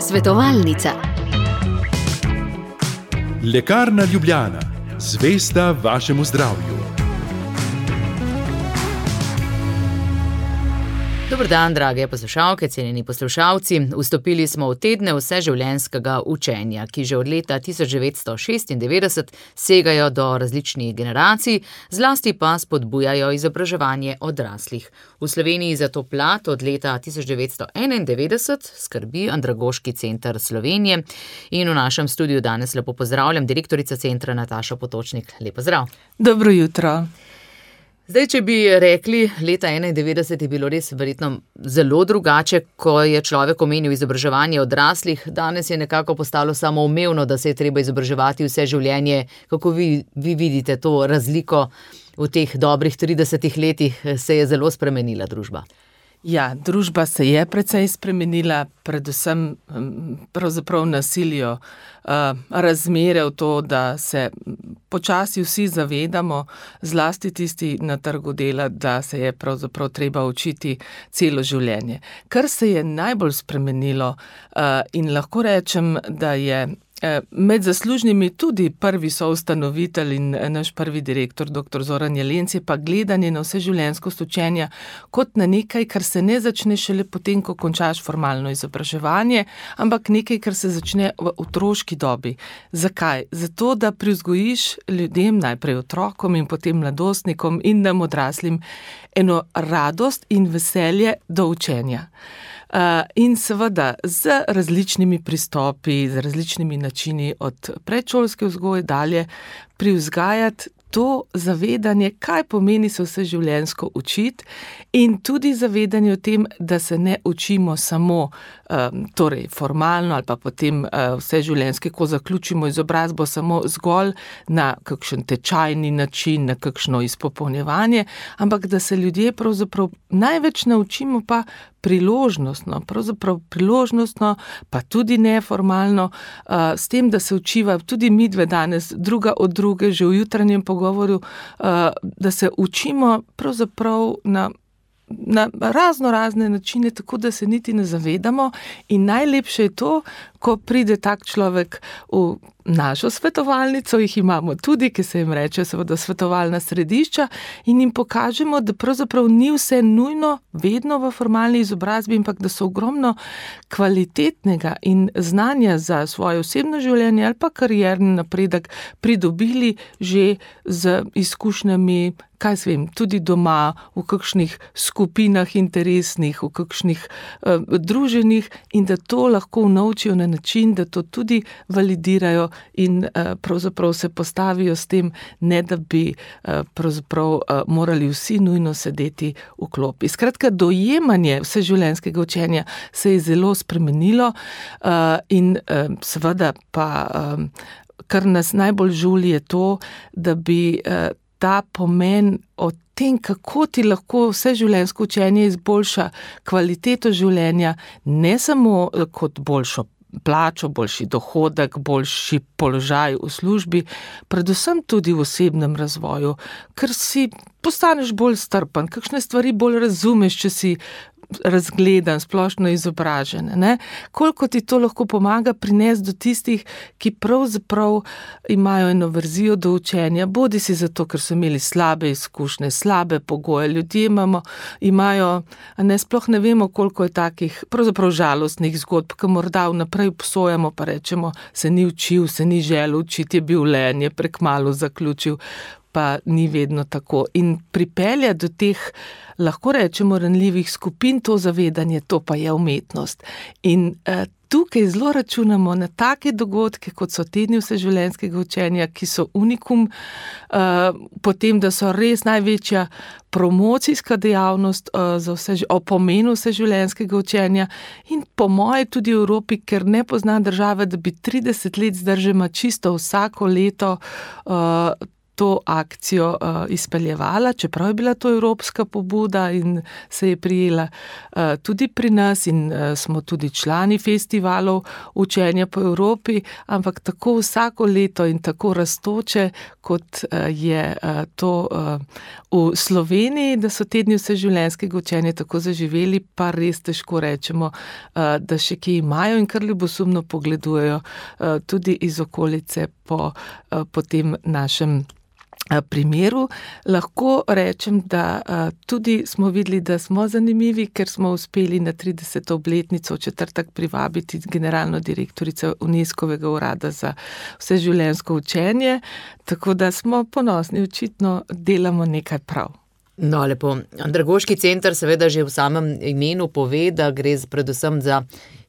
Svetovalnica. Lekarna Ljubljana, zvesta vašemu zdravju. Dober dan, drage poslušalke, cenjeni poslušalci. Vstopili smo v tedne vseživljenjskega učenja, ki že od leta 1996 segajo do različnih generacij, zlasti pa spodbujajo izobraževanje odraslih. V Sloveniji za to plat od leta 1991 skrbi Andragoški center Slovenije in v našem studiu danes lepo pozdravljam direktorico centra Natašo Potočnik. Lep pozdrav. Dobro jutro. Zdaj, če bi rekli, leta 1991 je bilo res verjetno zelo drugače, ko je človek omenil izobraževanje odraslih. Danes je nekako postalo samoumevno, da se je treba izobraževati vse življenje. Kako vi vidite to razliko v teh dobrih 30 letih, se je zelo spremenila družba? Ja, družba se je precej spremenila, predvsem pravzaprav nasiljo, razmere v to, da se počasi vsi zavedamo, zlasti tisti na trgu dela, da se je pravzaprav treba učiti celo življenje. Kar se je najbolj spremenilo in lahko rečem, da je med zaslužnimi tudi prvi soustanovitelj in naš prvi direktor, dr. Zoran Jelenc, je pa gledanje na vseživljenjskost učenja kot na nekaj, kar se ne začne šele potem, ko končaš formalno izobraževanje, ampak nekaj, kar se začne v otroški dobi. Zakaj? Zato, da privzgojiš ljudem, najprej otrokom in potem mladostnikom in nam odraslim, eno radost in veselje do učenja. In seveda z različnimi pristopi, z različnimi načini od predšolske vzgoje dalje privzgajati to zavedanje, kaj pomeni se vseživljenjsko učiti in tudi zavedanje o tem, da se ne učimo samo torej formalno ali pa potem vseživljenjske, ko zaključimo izobrazbo samo zgolj na kakšen tečajni način, na kakšno izpopolnjevanje, ampak da se ljudje pravzaprav največ naučimo pa priložnostno, pa tudi neformalno, s tem, da se učiva tudi midve danes druga od druge, že v jutranjem pogovoru, da se učimo pravzaprav na razne načine, tako da se niti ne zavedamo in najlepše je to, ko pride tak človek v našo svetovalnico, jih imamo tudi, ki se jim reče seveda svetovalna središča in jim pokažemo, da pravzaprav ni vse nujno vedno v formalni izobrazbi, ampak da so ogromno kvalitetnega in znanja za svoje osebno življenje ali pa karierni napredek pridobili že z izkušnjami, kaj se vem, tudi doma, v kakšnih skupinah interesnih, v kakšnih druženjih in da to lahko naučijo na način, da to tudi validirajo in pravzaprav se postavijo s tem, ne da bi pravzaprav morali vsi nujno sedeti v klopi. Skratka, dojemanje vseživljenjskega učenja se je zelo spremenilo in seveda pa kar nas najbolj žuli je to, da bi ta pomen o tem, kako ti lahko vseživljenjsko učenje izboljša kvaliteto življenja, ne samo kot boljšo plačo, boljši dohodek, boljši položaj v službi, predvsem tudi v osebnem razvoju, ker si postaneš bolj strpen, kakšne stvari bolj razumeš, če si razgledan, splošno izobražen, ne? Koliko ti to lahko pomaga prinesti do tistih, ki pravzaprav imajo eno verzijo do učenja, bodi si zato, ker so imeli slabe izkušnje, slabe pogoje, ljudje imajo, sploh ne vemo, koliko je takih pravzaprav žalostnih zgodb, ki morda vnaprej obsojamo, pa rečemo, se ni učil, se ni želel učiti, je bil len, je prekmalu zaključil, pa ni vedno tako. In pripelja do teh, lahko rečemo, ranljivih skupin to zavedanje, to pa je umetnost. In tukaj zelo računamo na take dogodke, kot so tedni vseživljenjskega učenja, ki so unikum, potem, da so res največja promocijska dejavnost o pomenu vseživljenjskega učenja in po moje tudi v Evropi, ker ne pozna države, da bi 30 let zdržema čisto vsako leto to akcijo izpeljevala, čeprav je bila to evropska pobuda in se je prijela tudi pri nas in smo tudi člani festivalov učenja po Evropi, ampak tako vsako leto in tako rastoče, kot je to v Sloveniji, da so tedni vseživljenjskega učenja tako zaživeli, pa res težko rečemo, da še kje imajo in kar ljubosumno pogledujejo tudi iz okolice po tem našem primeru. Lahko rečem, da tudi smo videli, da smo zanimivi, ker smo uspeli na 30. obletnico v četrtek privabiti generalno direktorico UNESCO-vega urada za vseživljenjsko učenje, tako da smo ponosni, očitno delamo nekaj prav. No, lepo. Andragoški center seveda že v samem imenu pove, da gre predvsem za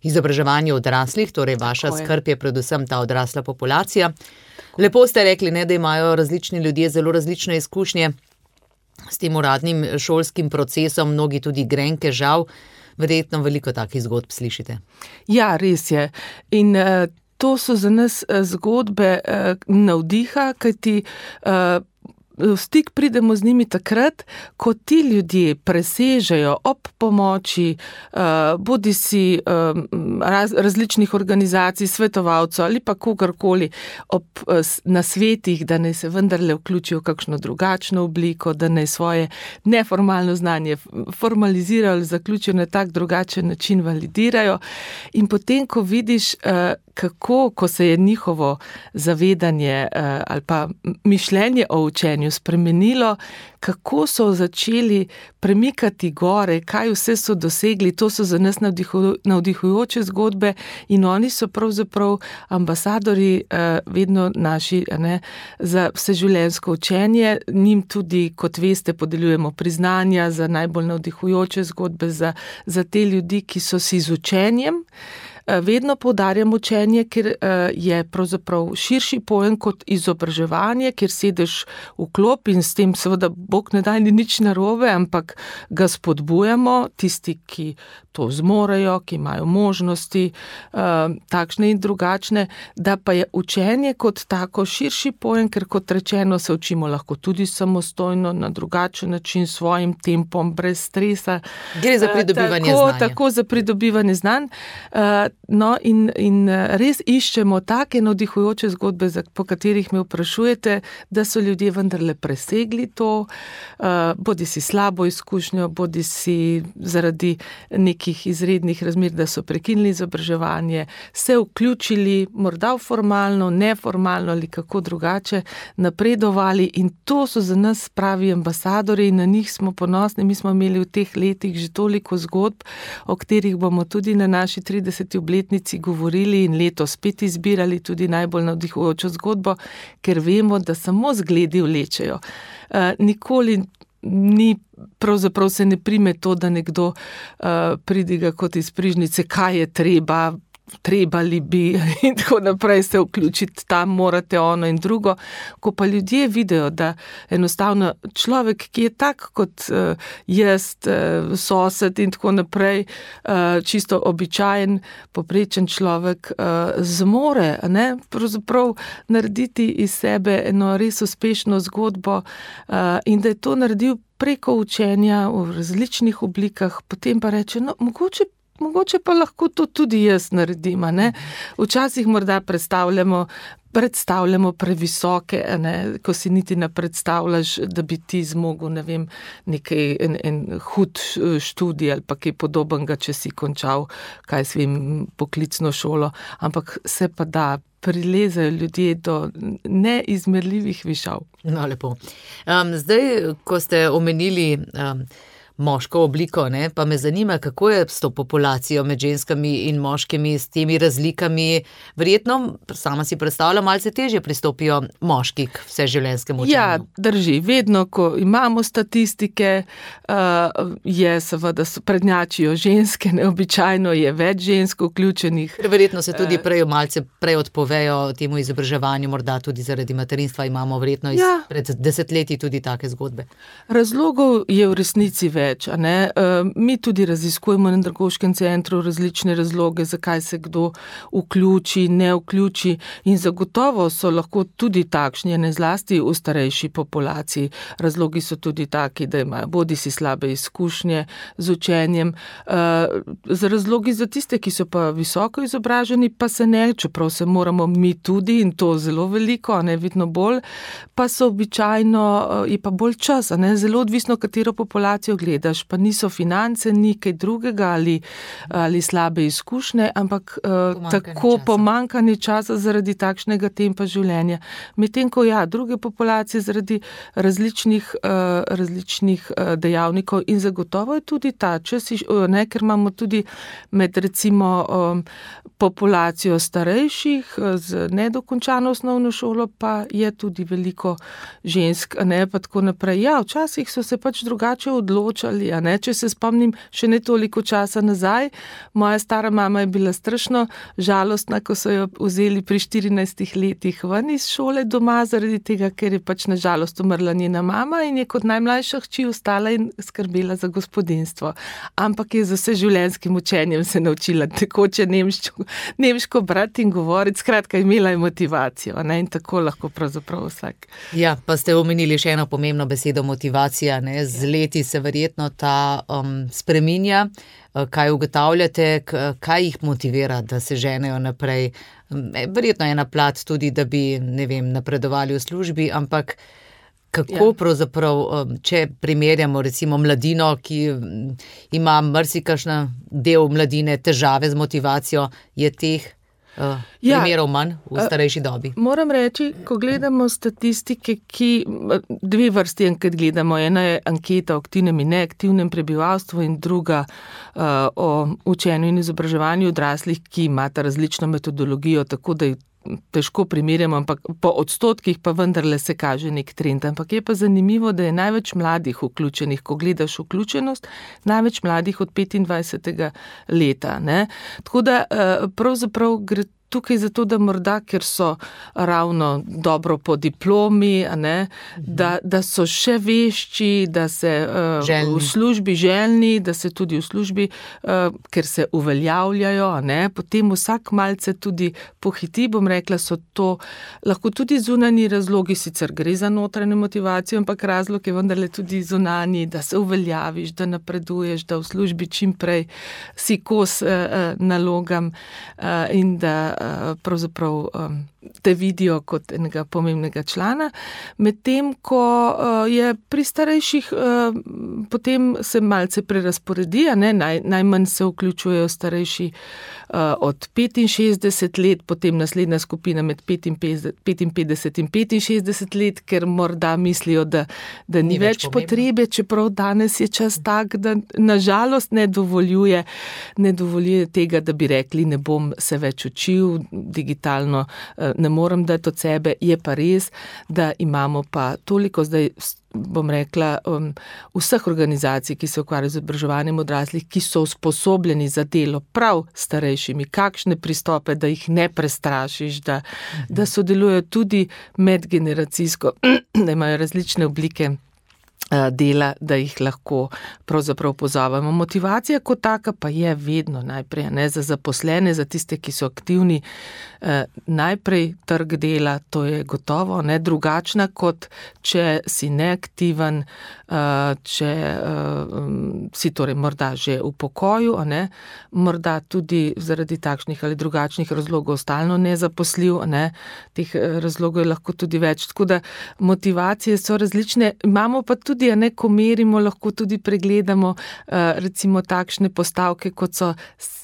izobraževanje odraslih, torej vaša skrb je predvsem ta odrasla populacija. Lepo ste rekli, ne, da imajo različni ljudje zelo različne izkušnje s tem uradnim šolskim procesom, mnogi tudi grenke, žal, verjetno veliko takih zgodb slišite. Ja, res je. In to so za nas zgodbe navdiha, kajti v stik pridemo z njimi takrat, ko ti ljudje presežejo ob pomoči bodisi različnih organizacij, svetovalcev ali pa kogarkoli ob nasvetih, da naj se vendarle vključijo v kakšno drugačno obliko, da naj svoje neformalno znanje formalizirajo ali zaključijo na tak drugačen način validirajo. In potem, ko vidiš, kako, ko se je njihovo zavedanje ali pa mišljenje o učenju spremenilo, kako so začeli premikati gore, kaj vse so dosegli, to so za nas navdihujoče zgodbe in oni so pravzaprav ambasadori vedno naši, ne, za vseživljenjsko učenje. Njim tudi, kot veste, podeljujemo priznanja za najbolj navdihujoče zgodbe, za te ljudi, ki so si z učenjem. Vedno poudarjam učenje, ker je pravzaprav širši pojem kot izobraževanje, kjer sedeš v klop in s tem seveda Bog ne daj ni nič narobe, ampak ga spodbujamo, tisti, ki to zmorejo, ki imajo možnosti, takšne in drugačne, da pa je učenje kot tako širši pojem, ker kot rečeno se učimo lahko tudi samostojno, na drugačen način, svojim tempom, brez stresa. Gre za pridobivanje znanja. Tako za pridobivanje znanj. No, in res iščemo take navdihujoče zgodbe, po katerih me vprašujete, da so ljudje vendarle presegli to, bodisi slabo izkušnjo, bodisi zaradi nekih izrednih razmer, da so prekinili izobraževanje, se vključili morda v formalno, neformalno ali kako drugače, napredovali in to so za nas pravi ambasadori in na njih smo ponosni. Mi smo imeli v teh letih že toliko zgodb, o katerih bomo tudi na naši 30. obletnici govorili in letos spet izbirali tudi najbolj navdihujočo zgodbo, ker vemo, da samo zgledi vlečejo. Nikoli ni, pravzaprav se ne prime to, da nekdo pridiga kot iz prižnice, kaj je trebali bi in tako naprej se vključiti, tam morate ono in drugo. Ko pa ljudje vidijo, da enostavno človek, ki je tak kot jaz, sosed in tako naprej, čisto običajen, poprečen človek, zmore, ne, pravzaprav narediti iz sebe eno res uspešno zgodbo in da je to naredil preko učenja v različnih oblikah, potem pa reče, no, mogoče pa lahko to tudi jaz naredim, ne? Včasih morda predstavljamo previsoke, ne? Ko si niti ne predstavljaš, da bi ti zmogel, ne vem, nekaj, en hud študij ali pa kaj podobnega, če si končal, kaj svim poklicno šolo, ampak se pa da, prilezajo ljudje do neizmerljivih višav. No, lepo. Zdaj, ko ste omenili moško obliko, ne, pa me zanima, kako je s to populacijo med ženskami in moškimi, s temi razlikami. Verjetno, sama si predstavljam, malce težje pristopijo moški k vseživljenjskemu učenju. Ja, drži. Vedno, ko imamo statistike, je seveda prednjačijo ženske, neobičajno je več žensk vključenih. Verjetno se tudi malce prej odpovejo temu izobraževanju, morda tudi zaradi materinstva imamo verjetno pred desetletji tudi take zgodbe. Razlogov je v resnici več. več. A ne? Mi tudi raziskujemo na Andragoškem centru različne razloge, zakaj se kdo vključi, ne vključi in zagotovo so lahko tudi takšni, ne zlasti v starejši populaciji. Razlogi so tudi taki, da imajo bodisi slabe izkušnje z učenjem. Z razlogi za tiste, ki so pa visoko izobraženi, pa se ne, čeprav se moramo mi tudi in to zelo veliko, ne vidno bolj, pa so običajno, je pa bolj čas, ne, zelo odvisno, katero populacijo gledaš, pa niso finance, ni kaj drugega ali slabe izkušnje, ampak tako pomanjkanje časa zaradi takšnega tempa življenja. Medtem ko druge populacije zaradi različnih dejavnikov in zagotovo je tudi ta čas, ne, ker imamo tudi med recimo populacijo starejših z nedokončano osnovno šolo, pa je tudi veliko žensk, ne, pa tako naprej. Ja, včasih so se pač drugače odločali, ne, če se spomnim še ne toliko časa nazaj. Moja stara mama je bila strašno žalostna, ko so jo vzeli pri 14 letih ven iz šole doma, zaradi tega, ker je pač na žalost umrla njena mama in je kot najmlajša hči ostala in skrbela za gospodinjstvo. Ampak je z vseživljenjskim učenjem se naučila tekoče nemško brati in govoriti, skratka imela je motivacijo, ne, in tako lahko pravzaprav vsak. Ja, pa ste omenili še eno pomembno besedo, motivacija, ne, z leti se verjetno ta spreminja. Kaj ugotavljate, kaj jih motivira, da se ženejo naprej? Verjetno je ena plat tudi, da bi, ne vem, napredovali v službi, ampak kako pravzaprav, če primerjamo recimo mladino, ki ima marsikakšen del mladine težave z motivacijo, je teh primerov manj v starejši dobi? Moram reči, ko gledamo statistike, ki dve vrsti anket gledamo, ena je anketa o aktivnem in neaktivnem prebivalstvu in druga o učenju in izobraževanju odraslih, ki imata različno metodologijo, tako da težko primerjamo, ampak po odstotkih pa vendarle se kaže nek trend. Ampak je pa zanimivo, da je največ mladih vključenih, ko gledaš vključenost, največ mladih od 25. leta. Ne? Tako da pravzaprav gre tukaj zato, da morda, ker so ravno dobro po diplomi, ne, da so še vešči, da se v službi željni, da se tudi v službi, ker se uveljavljajo, ne, potem vsak malce tudi pohiti, bom rekla, so to lahko tudi zunanji razlogi, sicer gre za notranjo motivacijo, ampak razlog je vendarle tudi zunanji, da se uveljaviš, da napreduješ, da v službi čim prej si kos nalogam in da pravzaprav te vidijo kot enega pomembnega člana, medtem ko je pri starejših potem se malce prerasporedi, ne, najmanj se vključujejo starejši od 65 let, potem naslednja skupina med 55 in 65 let, ker morda mislijo, da ni več potrebe, čeprav danes je čas tak, da nažalost ne dovoljuje tega, da bi rekli, ne bom se več učil digitalno, ne morem dati od sebe, je pa res, da imamo pa toliko zdaj, bom rekla, vseh organizacij, ki se ukvarjajo z izobraževanjem odraslih, ki so usposobljeni za delo prav starejšimi, kakšne pristope, da jih ne prestrašiš, da sodelujejo tudi medgeneracijsko, da imajo različne oblike dela, da jih lahko pravzaprav pozovemo. Motivacija kot taka pa je vedno najprej, ne, za zaposlene, za tiste, ki so aktivni, najprej trg dela, to je gotovo, ne, drugačna kot če si neaktiven, če si torej morda že v pokoju, ne, morda tudi zaradi takšnih ali drugačnih razlogov stalno nezaposljiv, ne, teh razlogov je lahko tudi več, tako da motivacije so različne, imamo pa tudi, ne, ko merimo, lahko tudi pregledamo recimo takšne postavke, kot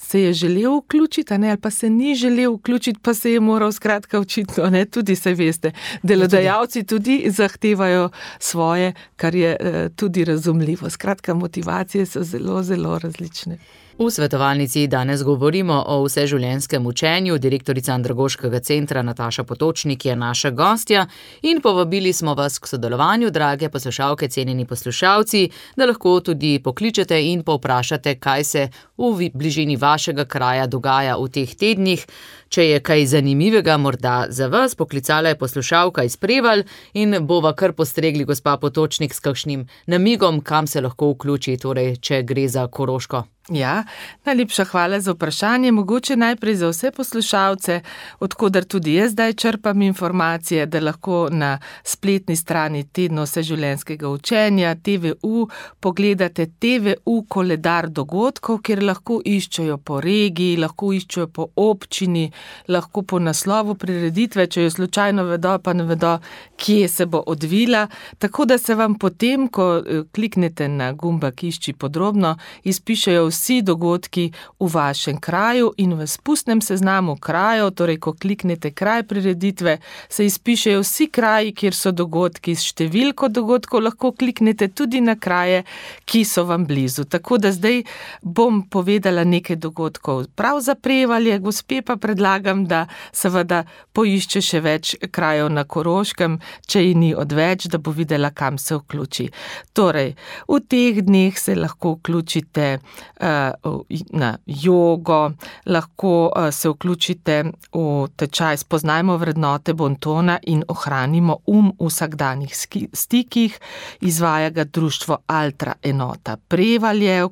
se je želel vključiti, ne, ali pa se ni želel vključiti, pa se je moral skratka očitno, ne, tudi se veste, delodajalci tudi zahtevajo svoje, kar je tudi razumljivo. Skratka, motivacije so zelo, zelo različne. V svetovalnici danes govorimo o vseživljenjskem učenju. Direktorica Andragoškega centra Nataša Potočnik je naša gostja in povabili smo vas k sodelovanju, drage poslušalke, cenjeni poslušalci, da lahko tudi pokličete in povprašate, kaj se v bližini vašega kraja dogaja v teh tednih. Če je kaj zanimivega morda za vas, poklicala je poslušalka iz Prevalj in bova kar postregli, gospa Potočnik, s kakšnim namigom, kam se lahko vključi, torej če gre za Koroško. Ja, najlepša hvala za vprašanje. Mogoče najprej za vse poslušalce, odkudar tudi jaz zdaj črpam informacije, da lahko na spletni strani Tedna vseživljenjskega učenja TVU pogledate TVU koledar dogodkov, kjer lahko iščejo po regiji, lahko iščejo po občini, lahko po naslovu prireditve, če jo slučajno vedo, pa ne vedo, kje se bo odvila. Tako da se vam potem, ko kliknete na gumbak Išči podrobno, izpišejo vsi dogodki v vašem kraju in v spustnem seznamu krajev, torej ko kliknete kraj prireditve, se izpišejo vsi kraji, kjer so dogodki. S številko dogodkov lahko kliknete tudi na kraje, ki so vam blizu. Tako da zdaj bom povedala nekaj dogodkov prav za Prevalje, gospe pa predlagam, da seveda poišče še več krajev na Koroškem, če ji ni odveč, da bo videla, kam se vključi. Torej, v teh dneh se lahko vključite na jogo, lahko se vključite v tečaj Spoznajmo vrednote bontona in ohranimo v vsakdanjih stikih. Izvaja ga društvo Altra enota Prevalje.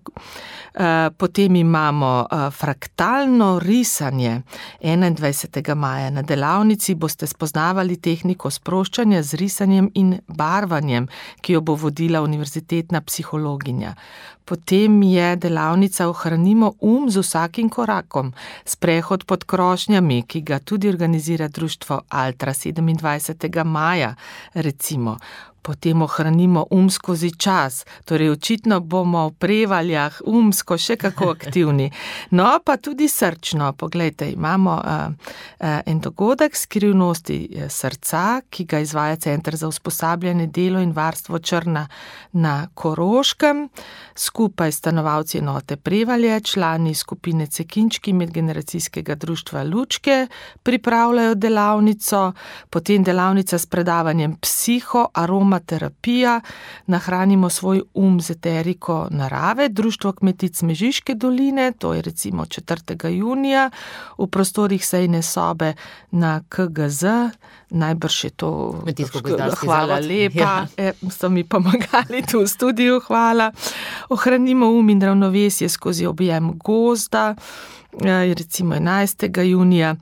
Potem imamo fraktalno risanje. 21. maja na delavnici boste spoznavali tehniko sproščanja z risanjem in barvanjem, ki jo bo vodila univerzitetna psihologinja. Potem je delavnica Ohranimo z vsakim korakom, sprehod pod krošnjami, ki ga tudi organizira društvo Altra 27. maja, recimo. Potem ohranimo skozi čas, torej očitno bomo v Prevaljah še kako aktivni. No, pa tudi srčno. Poglejte, imamo en dogodek Skrivnosti srca, ki ga izvaja Center za usposabljanje, delo in varstvo Črna na Koroškem. Skupaj stanovalci enote Prevalje, člani skupine Cekinčki medgeneracijskega društva Lučke pripravljajo delavnico, potem delavnica s predavanjem aromaterapija, nahranimo svoj z eteriko narave, društvo kmetic Mežiške doline, to je recimo 4. junija, v prostorih sejne sobe na KGZ, najbrž je to, hvala lepa, so mi pomagali tu v studiu, hvala. Ohranimo in ravnovesje skozi objem gozda, recimo 11. junija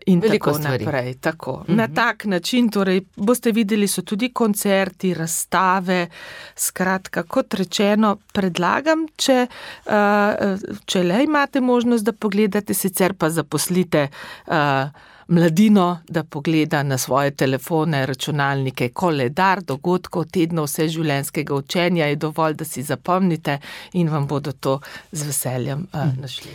in veliko tako naprej. Tako. Na tak način, torej, boste videli, so tudi koncerti, razstave, skratka, kot rečeno, predlagam, če le imate možnost, da pogledate, sicer pa zaposlite mladino, da pogleda na svoje telefone, računalnike, koledar dogodkov Tedna vseživljenjskega učenja, je dovolj, da si zapomnite in vam bodo to z veseljem našli.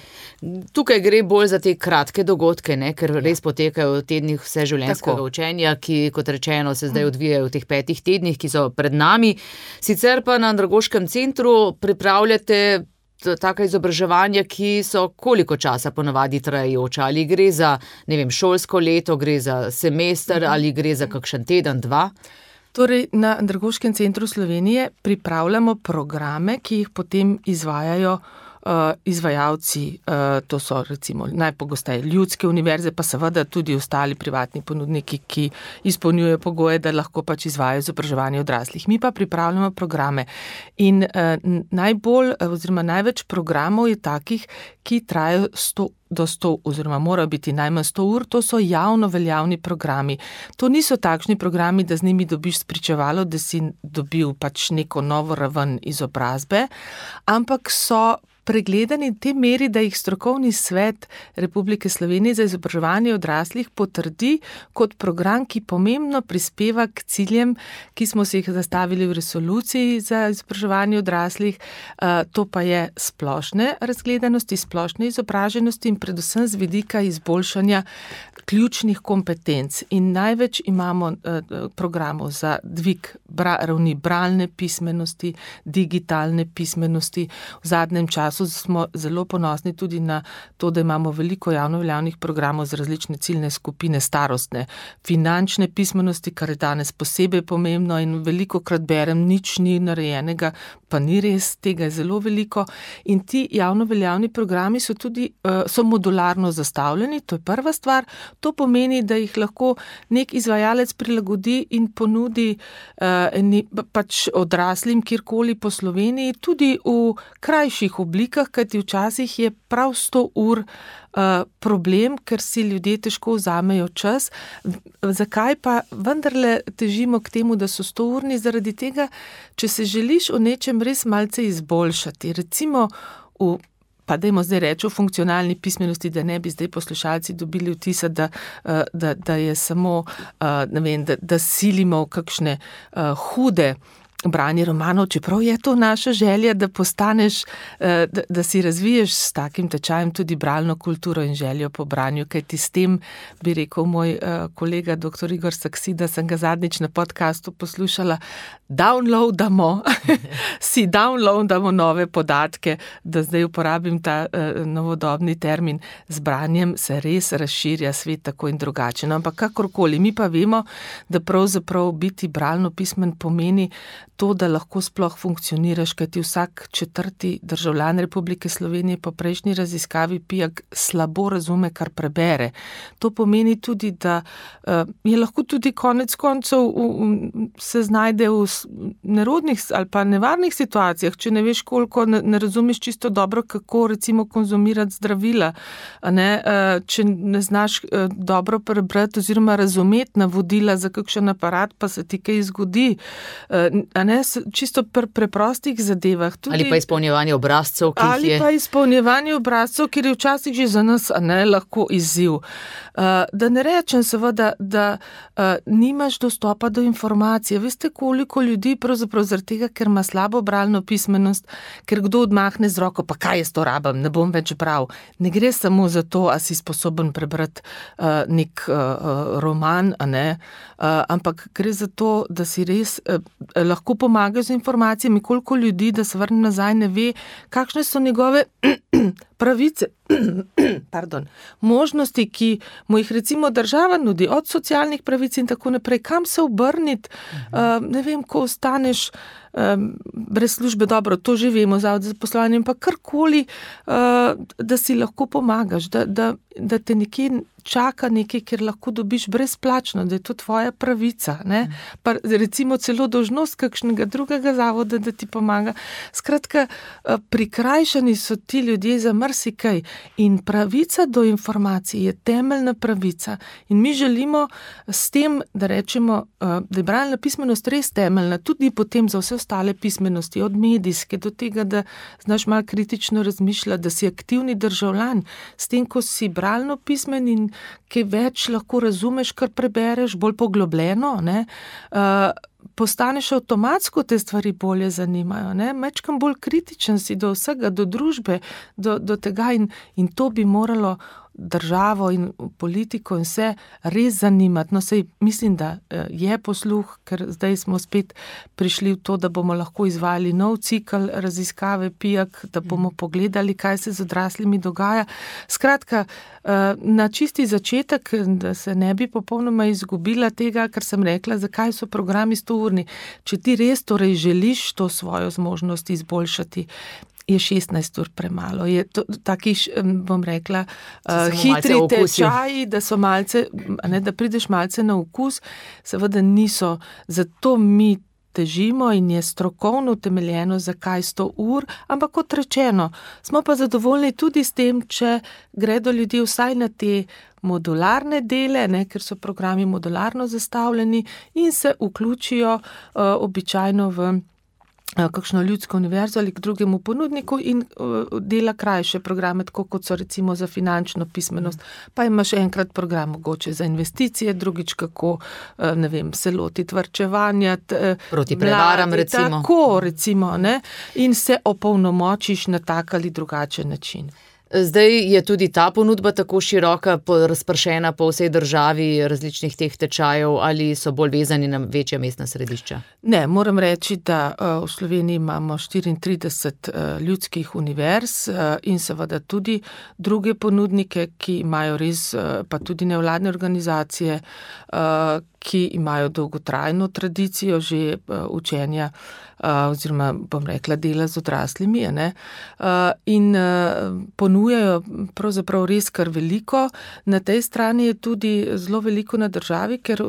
Tukaj gre bolj za te kratke dogodke, ne? Ker res potekajo v tednih vseživljenjskega učenja, ki, kot rečeno, se zdaj odvijajo v teh 5 tednih, ki so pred nami. Sicer pa na Andragoškem centru pripravljate taka izobraževanja, ki so koliko časa ponavadi trajajoča? Ali gre za, šolsko leto, gre za semester ali gre za kakšen teden, 2? Torej, na Andragoškem centru Slovenije pripravljamo programe, ki jih potem izvajajo izvajalci, to so recimo najpogosteje ljudske univerze, pa seveda tudi ostali privatni ponudniki, ki izpolnjujejo pogoje, da lahko pač izvajajo izobraževanje odraslih. Mi pa pripravljamo programe in največ programov je takih, ki trajajo 100 oziroma morajo biti najmanj 100 ur, to so javno veljavni programi. To niso takšni programi, da z njimi dobiš spričevalo, da si dobil pač neko novo raven izobrazbe, ampak so pregledani v tej meri, da jih Strokovni svet Republike Slovenije za izobraževanje odraslih potrdi kot program, ki pomembno prispeva k ciljem, ki smo si jih zastavili v resoluciji za izobraževanje odraslih. To pa je splošne razgledanosti, splošne izobraženosti in predvsem z vidika izboljšanja ključnih kompetenc in največ imamo programov za dvig ravni bralne pismenosti, digitalne pismenosti. V zadnjem času smo zelo ponosni tudi na to, da imamo veliko javno veljavnih programov za različne ciljne skupine, starostne, finančne pismenosti, kar je danes posebej pomembno in velikokrat berem, nič ni narejenega, pa ni res, tega je zelo veliko. In ti javno veljavni programi so tudi so modularno zastavljeni, to je prva stvar. To pomeni, da jih lahko nek izvajalec prilagodi in ponudi pač odraslim kjerkoli po Sloveniji, tudi v krajših oblikah, kajti včasih je prav 100 ur problem, ker si ljudje težko vzamejo čas. Zakaj pa vendarle težimo k temu, da so 100-urni? Zaradi tega, če se želiš o nečem res malce izboljšati, recimo pa dajmo zdaj reči o funkcionalni pismenosti, da ne bi zdaj poslušalci dobili vtisa, da je samo, ne vem, da silimo v kakšne hude branje romanov, čeprav je to naša želja, da postaneš, da si razviješ s takim tečajem tudi bralno kulturo in željo po branju, kajti s tem, bi rekel moj kolega dr. Igor Saksida, sem ga zadnjič na podcastu poslušala, si downloadamo nove podatke, da zdaj uporabim ta novodobni termin, z branjem se res razširja svet tako in drugače. No, ampak kakorkoli, mi pa vemo, da pravzaprav biti bralno pismen pomeni to, da lahko sploh funkcioniraš, kajti vsak 4. državljan Republike Slovenije po prejšnji raziskavi PIAG slabo razume, kar prebere. To pomeni tudi, da je lahko tudi konec koncev se znajde v nerodnih ali pa nevarnih situacijah, če ne veš koliko, ne razumeš čisto dobro, kako recimo konzumirati zdravila, če ne znaš dobro prebrati oziroma razumeti navodila za kakšen aparat, pa se ti kaj zgodi, čisto preprostih zadevah. Tudi, ali pa izpolnjevanje obrazcev, kjer je včasih že za nas lahko izziv. Da ne rečem seveda, da nimaš dostopa do informacije. Veste, koliko ljudi pravzaprav zaradi tega, ker ima slabo bralno pismenost, ker kdo odmahne z roko, pa kaj jaz to rabim, ne bom več bral. Ne gre samo za to, a si sposoben prebrati nek roman, ampak gre za to, da si res lahko pomagajo z informacijami, koliko ljudi, da se vrnem nazaj, ne ve, kakšne so njegove pravice, možnosti, ki mu jih recimo država nudi, od socialnih pravic in tako naprej, kam se obrniti, ne vem, ko ostaneš brez službe, dobro, to že vemo, zavod za zaposlovanje, pa karkoli, da si lahko pomagaš, da te nekje čaka nekaj, kjer lahko dobiš brezplačno, da je to tvoja pravica, pa recimo celo dolžnost kakšnega drugega zavoda, da ti pomaga. Skratka, prikrajšani so ti ljudje za marsikaj in pravica do informacij je temeljna pravica in mi želimo s tem, da rečemo, da je bralna pismenost res temeljna, tudi potem za vse ostale pismenosti, od medijske do tega, da znaš malo kritično razmišljati, da si aktivni državljan, s tem, ko si bralno pismen in kaj več lahko razumeš, kar prebereš, bolj poglobljeno, postaneš avtomatsko, te stvari bolje zanimajo, mečkam bolj kritičen si do vsega, do družbe, do tega in to bi moralo državo in politiko in vse res zanimati. No, sej mislim, da je posluh, ker zdaj smo spet prišli v to, da bomo lahko izvajali nov cikl raziskave PIAG, da bomo pogledali, kaj se z odraslimi dogaja. Skratka, na čisti začetek, da se ne bi popolnoma izgubila tega, kar sem rekla, zakaj so programi 100-urni. Če ti res torej želiš to svojo zmožnost izboljšati, je 16 ur premalo. Je to taki, bom rekla, hitri tečaji, da so malce, da prideš malce na okus, seveda niso. Zato mi težimo in je strokovno utemeljeno, zakaj 100 ur, ampak kot rečeno, smo pa zadovoljni tudi s tem, če gredo ljudje vsaj na te modularne dele, ker so programi modularno zastavljeni in se vključijo običajno v kakšno ljudsko univerzo ali k drugemu ponudniku in dela krajše programe, tako kot so recimo za finančno pismenost. Pa imaš enkrat program mogoče za investicije, drugič kako, ne vem, se lotiti varčevanja. Proti prevaram recimo. Tako recimo, in se opolnomočiš na tak ali drugačen način. Zdaj je tudi ta ponudba tako široka, razpršena po vsej državi različnih teh tečajev ali so bolj vezani na večja mestna središča? Ne, moram reči, da v Sloveniji imamo 34 ljudskih univerz in seveda tudi druge ponudnike, ki imajo res, pa tudi nevladne organizacije, ki imajo dolgotrajno tradicijo že učenja oziroma, bom rekla, dela z odraslimi, ne? In ponujajo pravzaprav res kar veliko. Na tej strani je tudi zelo veliko na državi, ker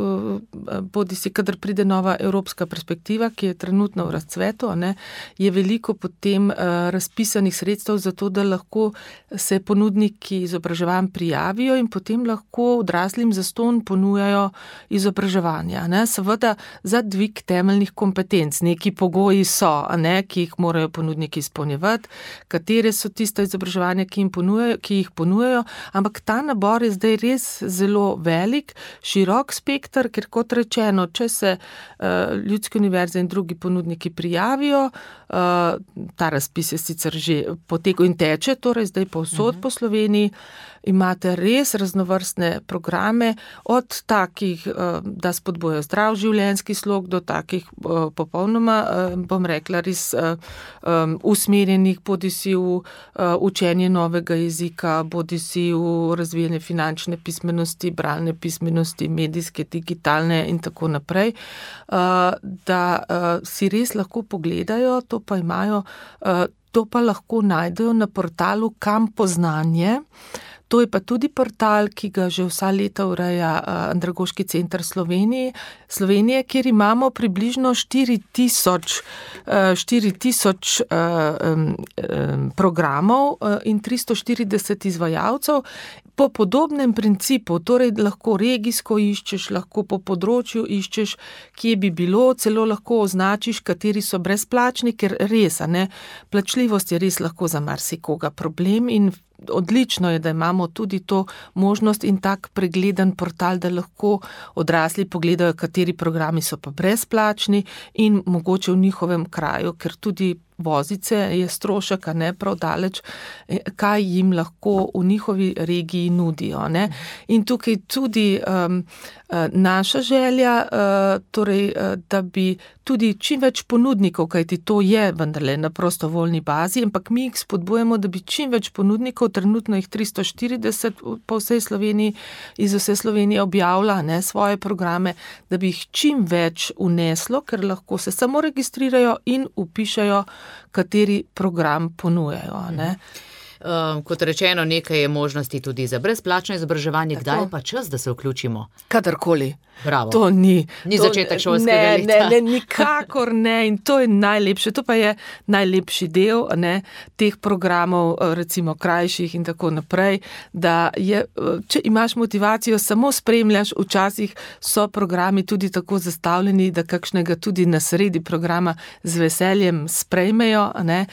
bodisi, kadar pride nova evropska perspektiva, ki je trenutno v razcvetu, ne, je veliko potem razpisanih sredstev za to, da lahko se ponudniki izobraževanj prijavijo in potem lahko odraslim zastonj ponujajo izobraževanja. Ne. Seveda za dvig temeljnih kompetenc, neki pogoji so, ne, ki jih morajo ponudniki izpolnjevati, katere so tista izobraževanja, ki jih ponujajo, ampak ta nabor je zdaj res zelo velik, širok spekter, ker kot rečeno, če se ljudske univerze in drugi ponudniki prijavijo, ta razpis je sicer že potekel in teče, torej zdaj povsod po Sloveniji, imate res raznovrstne programe, od takih, da spodbujajo zdrav življenjski slog, do takih popolnoma, bom rekla, res usmerjenih, bodisi v učenje novega jezika, bodisi v razvijanje finančne pismenosti, bralne pismenosti, medijske, digitalne in tako naprej, da si res lahko pogledajo, to pa lahko najdejo na portalu Kam Poznanje. To je pa tudi portal, ki ga že vsa leta ureja Andragoški center Slovenije, kjer imamo približno 4000 programov in 340 izvajalcev. Po podobnem principu, torej lahko regijsko iščeš, lahko po področju iščeš, kje bi bilo, celo lahko označiš, kateri so brezplačni, ker res, ne, plačljivost je res lahko za marsikoga problem in odlično je, da imamo tudi to možnost in tak pregleden portal, da lahko odrasli pogledajo, kateri programi so pa brezplačni in mogoče v njihovem kraju, ker tudi vozice je strošek, a ne prav daleč, kaj jim lahko v njihovi regiji nudijo. Ne? In tukaj tudi naša želja, torej, da bi tudi čim več ponudnikov, kajti to je vendarle na prostovoljni bazi, ampak mi jih spodbujamo, da bi čim več ponudnikov, trenutno jih 340 po vsej Sloveniji, iz vse Slovenije objavlja, ne, svoje programe, da bi jih čim več uneslo, ker lahko se samo registrirajo in vpišajo, kateri program ponujajo. Ne. Kot rečeno, nekaj je možnosti tudi za brezplačno izobraževanje. Kdaj je pa čas, da se vključimo? Kadarkoli. Bravo. To ni začetek šolskega leta. Ne, nikakor ne. In to je najlepše. To pa je najlepši del, ne, teh programov, recimo krajših in tako naprej, da je, če imaš motivacijo, samo spremljaš, včasih so programi tudi tako zastavljeni, da kakšnega tudi na sredi programa z veseljem sprejmejo. Ne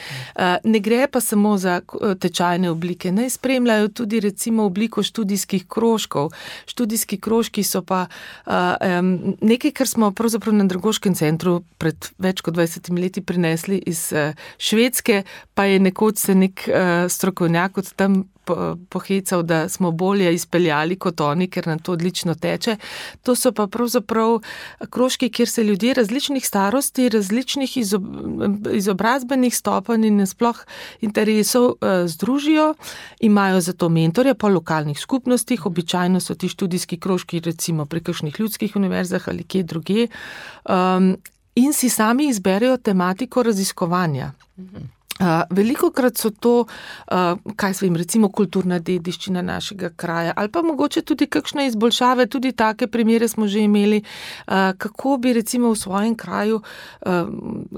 gre pa samo za tečajne oblike. Naj spremljajo tudi recimo obliko študijskih krožkov. Študijski krožki so pa nekaj, kar smo pravzaprav na Andragoškem centru pred več kot 20 leti prinesli iz Švedske, pa je nekoč se nek strokovnjak od tam pohecal, da smo bolje izpeljali kot oni, ker nam to odlično teče. To so pa pravzaprav krožki, kjer se ljudje različnih starosti, različnih izobrazbenih stopenj in sploh interesov združijo, imajo za to mentorja po lokalnih skupnostih, običajno so ti študijski krožki recimo pri kakšnih ljudskih univerzah ali kje drugje, in si sami izberejo tematiko raziskovanja. Velikokrat so to, kaj svojim, recimo kulturna dediščina našega kraja, ali pa mogoče tudi kakšne izboljšave, tudi take primere smo že imeli, kako bi recimo v svojem kraju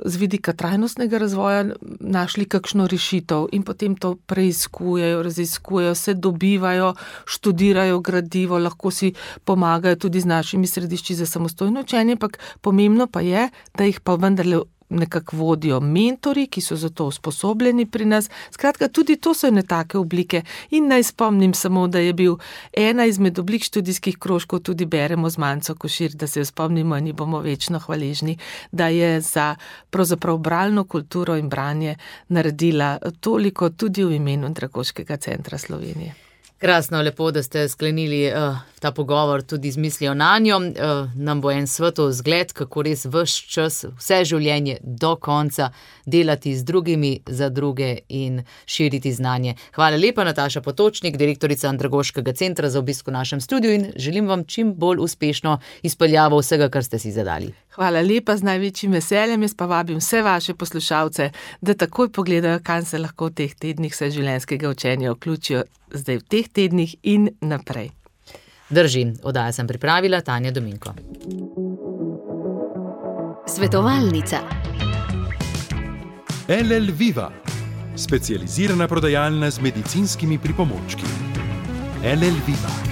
z vidika trajnostnega razvoja našli kakšno rešitev in potem to preiskujejo, raziskujejo, se dobivajo, študirajo gradivo, lahko si pomagajo tudi z našimi središči za samostojno učenje, ampak pomembno pa je, da jih pa vendarle nekako vodijo mentori, ki so za to usposobljeni pri nas. Skratka, tudi to so ene take oblike. In naj spomnim samo, da je bil ena izmed oblik študijskih krožkov, tudi beremo z Manco Košir, da se jo spomnimo in ji bomo večno hvaležni, da je za pravzaprav bralno kulturo in branje naredila toliko tudi v imenu Andragoškega centra Slovenije. Krasno, lepo, da ste sklenili ta pogovor tudi z mislijo nanjo. Nam bo en svetov zgled, kako res ves čas, vse življenje do konca delati z drugimi za druge in širiti znanje. Hvala lepa, Nataša Potočnik, direktorica Andragoškega centra, za obisk v našem studiu in želim vam čim bolj uspešno izpeljavo vsega, kar ste si zadali. Hvala lepa, z največjim veseljem. Jaz pa vabim vse vaše poslušalce, da takoj pogledajo, kam se lahko v teh tednih vseživljenjskega učenja vključijo zdaj v teh tednih in naprej. Drži, oddajo sem pripravila Tanja Dominko. Svetovalnica. LL Viva, specializirana prodajalna z medicinskimi pripomočki. LL Viva.